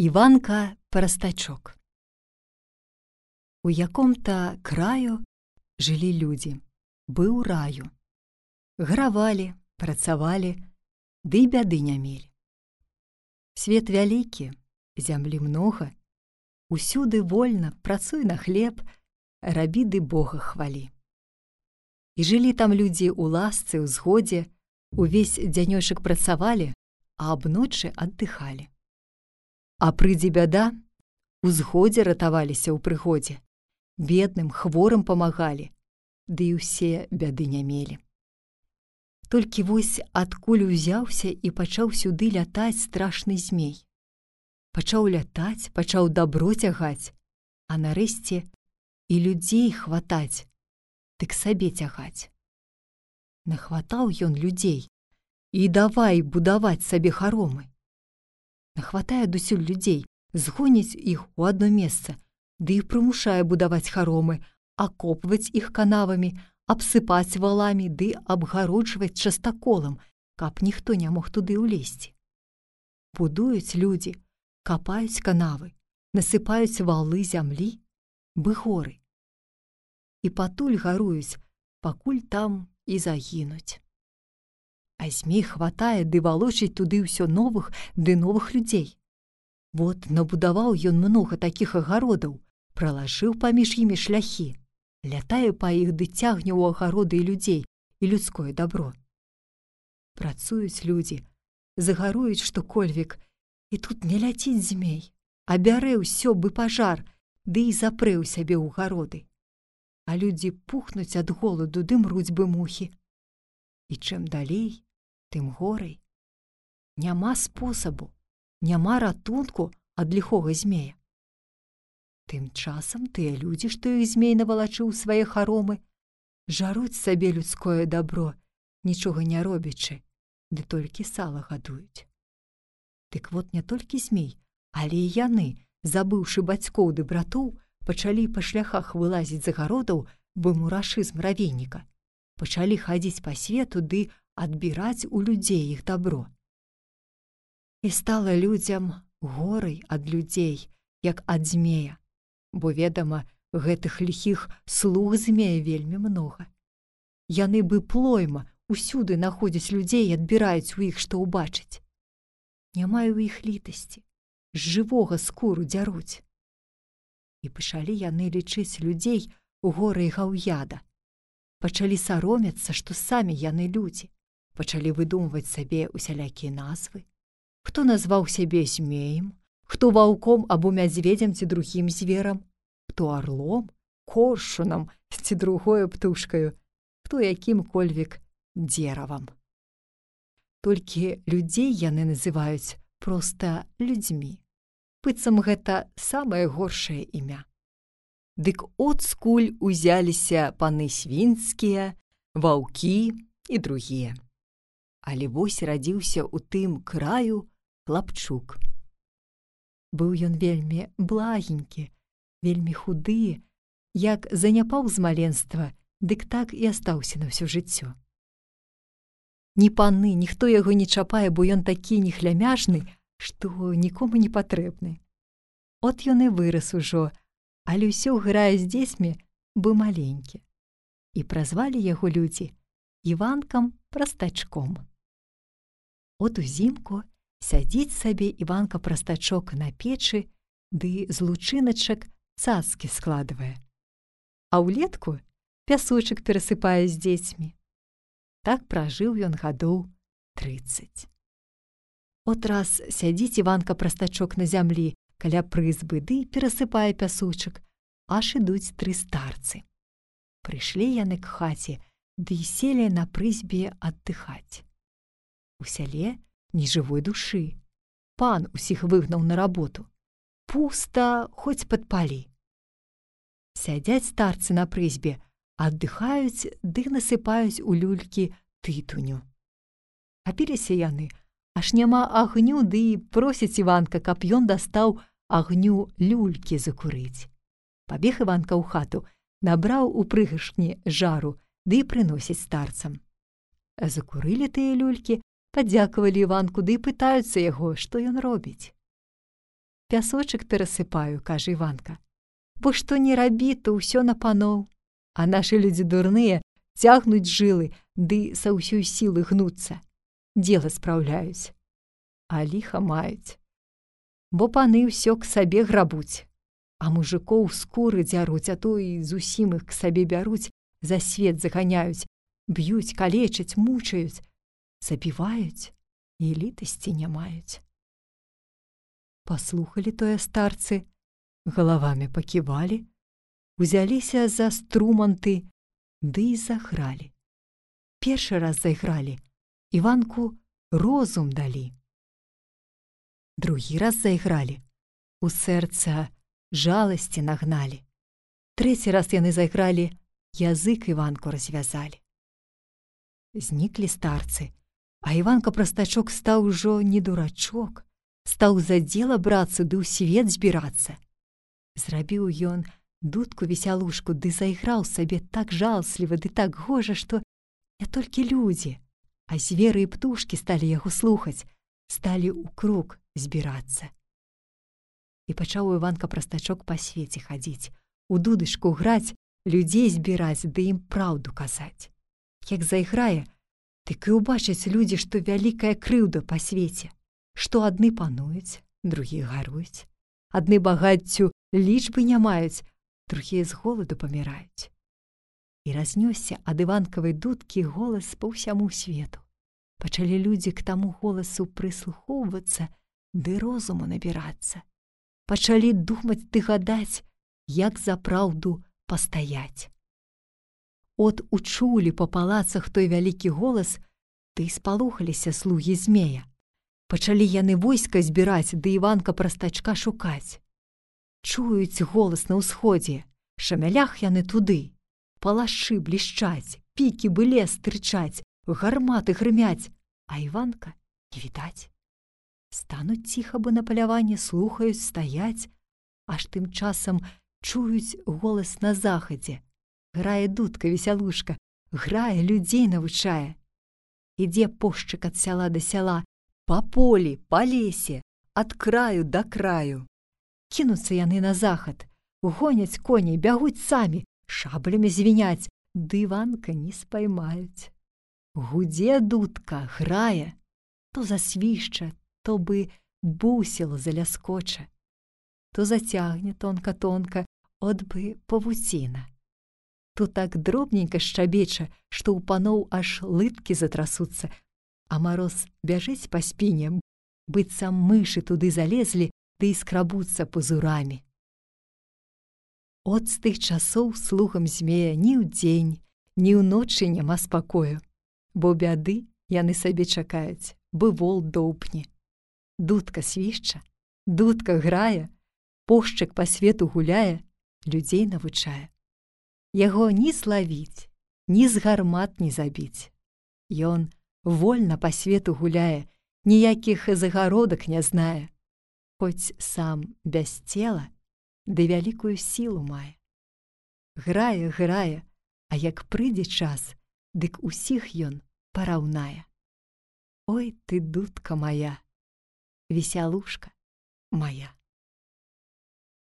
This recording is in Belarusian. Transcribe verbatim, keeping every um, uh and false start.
Іванка Простачок. У яком-то краю жылі людзі, быў раю. Гравалі, працавалі, ды бяды не мелі. Свет вялікі, зямлі многа, усюды вольна працуй на хлеб, рабі ды Бога хвалі. І жылі там людзі ў ласцы, ў згодзе, увесь дзянёчак працавалі, а абночы аддыхалі. А прыйдзе бяда, у згодзе ратаваліся ў прыгодзе, бедным, хворым памагалі, ды і ўсе бяды не мелі. Толькі вось адкуль узяўся і пачаў сюды лятаць страшны змей. Пачаў лятаць, пачаў дабро цягаць, а нарэшце і людзей хватаць, дык сабе цягаць. Нахватаў ён людзей і давай будаваць сабе харомы. Нахватае адусюль людзей, згоніць іх у адно месца, ды і прымушае будаваць харомы, акопваць іх канавамі, абсыпаць валамі ды абгароджваць частаколам, каб ніхто не мог туды ўлезці. Будуюць людзі, капаюць канавы, насыпаюць валы зямлі, бы горы. І патуль гаруюць, пакуль там і загінуць. А змей хватае ды валочыць туды ўсё новых ды новых людзей. Вот набудаваў ён многа такіх агародаў, пралажыў паміж імі шляхі, лятае па іх ды цягне ў агароды і людзей, і людское дабро. Працуюць людзі, загаруюць што-кольвек, і тут не ляціць змей, а бярэ ўсё бы пажар, ды і запрэ ў сябе ў гароды. А людзі пухнуць ад голаду ды мруць бы мухі. І чым далей, тым горай. Няма спосабу, няма ратунку ад ліхога змея. Тым часам тыя людзі, што іх змей навалачыў свае харомы, жаруць сабе людское дабро, нічога не робячы, ды толькі сала гадуюць. Дык вот не толькі змей, але і яны, забыўшы бацькоў ды братоў, пачалі па шляхах вылазіць з агародаў, бы мурашы з муравейніка. Пачалі хадзіць па свету ды адбіраць у людзей іх дабро. І стала людзям горай ад людзей, як ад змея, бо, ведама, гэтых ліхіх слуг змея вельмі многа. Яны бы плойма усюды находзяць людзей і адбіраюць у іх, што ўбачыць. Няма ў іх літасці, з жывога скуру дзяруць. І пачалі яны лічыць людзей горай гаўяда. Пачалі саромяцца, што самі яны людзі. Пачалі выдумваць сабе усялякія назвы. Хто назваў сябе змеем, хто ваўком або мядзведзем ці другім зверам, хто арлом, коршунам ці другою птушкаю, хто якім-кольвек дзеравам. Толькі людзей яны называюць проста людзьмі. Быццам гэта самае горшае імя. Дык от скуль узяліся паны свінскія, ваўкі і другія. Але вось радзіўся ў тым краю хлапчук. Быў ён вельмі благенькі, вельмі худы, як заняпаў з маленства, дык так і астаўся на ўсё жыццё. Ні паны, ніхто яго не чапае, бо ён такі нехлямяжны, што нікому не патрэбны. От ён і вырас ужо, але ўсё грае з дзецьмі, бы маленькі. І празвалі яго людзі Іванкам Простачком. От узімку сядзіць сабе Іванка Простачок на печы, ды з лучыначак цацкі складвае. А ўлетку пясочак перасыпае з дзецьмі. Так пражыў ён гадоў трыццаць. От раз сядзіць Іванка Простачок на зямлі каля прызбы, ды перасыпае пясочак, аж ідуць тры старцы. Прыйшлі яны к хаце, ды і селі на прызбе аддыхаць. У сяле ні жывой душы. Пан усіх выгнаў на работу. Пуста, хоць падпалі. Сядзяць старцы на прызбе, аддыхаюць ды насыпаюць у люлькі тытуню. Апіліся яны, аж няма агню, ды і просяць Іванка, каб ён дастаў агню люлькі закурыць. Пабег Іванка ў хату, набраў у прыгашні жару, ды і прыносіць старцам. Закурылі тыя люлькі, падзякавалі Іванку, ды і пытаюцца яго, што ён робіць. пясочак перасыпаю, кажа Іванка. Бо што не рабі, то ўсё на паноў. А нашы людзі дурныя цягнуць жылы, ды са ўсёй сілы гнуцца. Дзела спраўляюць. А ліха маюць. Бо паны ўсё к сабе грабуць. А мужикоў скуры дзяруць, а то і зусім іх к сабе бяруць, за свет заганяюць, б'юць, калечаць, мучаюць, забіваюць і літасці не маюць. Паслухалі тое старцы, галавамі паківалі, узяліся за струманты, ды і загралі. Першы раз зайгралі, Іванку розум далі. Другі раз зайгралі, у сэрца жаласці нагналі. Трэці раз яны зайгралі, язык Іванку развязалі. Зніклі старцы, а Іванка-прастачок стаў ужо не дурачок, стаў за дзела брацца ды ў свет збірацца. Зрабіў ён дудку-весялушку, ды зайграў сабе так жалсліва ды так гожа, што не толькі людзі, а зверы і птушкі сталі яго слухаць, сталі ў круг збірацца. І пачаў Іванка-прастачок па свеце хадзіць, у дудачку граць, людзей збіраць ды ім праўду казаць. Як зайграе, дык і ўбачаць людзі, што вялікая крыўда па свеце, што адны пануюць, другія гаруюць, адны багаццю лічбы не маюць, другія з голаду паміраюць. І разнёсся ад Іванкавай дудкі голас па ўсяму свету. Пачалі людзі к таму голасу прыслухоўвацца ды розуму набірацца. Пачалі думаць ды гадаць, як за праўду пастаяць. От учулі па палацах той вялікі голас, ды спалохаліся слугі змея. Пачалі яны войска збіраць, ды Іванка-прастачка шукаць. Чуюць голас на ўсходзе, шамялях яны туды. Палашы блішчаць, пікі быле стырчаць, гарматы грымяць, а Іванка не відаць. Стануць ціха бы на паляванне, слухаюць, стаяць, аж тым часам чуюць голас на захадзе. Грае дудка-весялушка, грае, людзей навучае. Ідзе пошчык ад сяла да сяла, па полі, па лесе, ад краю да краю. Кінуцца яны на захад, гоняць коней, бягуць самі, шаблямі звіняць, ды Іванка не спаймаюць. Гудзе дудка, грае, то засвішча, то бы бусіла заляскоча, то зацягне тонка-тонка, от бы павуціна. То так дробненька шчабеча, што ў паноў аж лыткі затрасуцца, а мароз бяжыць па спіне, быццам мышы туды залезлі, ды і скрабуцца пазурамі. От з тых часоў слугам змея ні ўдзень, ні ўночы няма спакою, бо бяды яны сабе чакаюць, бы вол доўпне. Дудка свішча, дудка грае, пошчык па свету гуляе, людзей навучае. Яго ні злавіць, ні з гармат не забіць. Ён вольна па свету гуляе, ніякіх загародак не знае, хоць сам без цела ды вялікую сілу мае. Грае, грае, а як прыйдзе час, дык усіх ён параўнае. Ой ты, дудка моя, весялушка моя.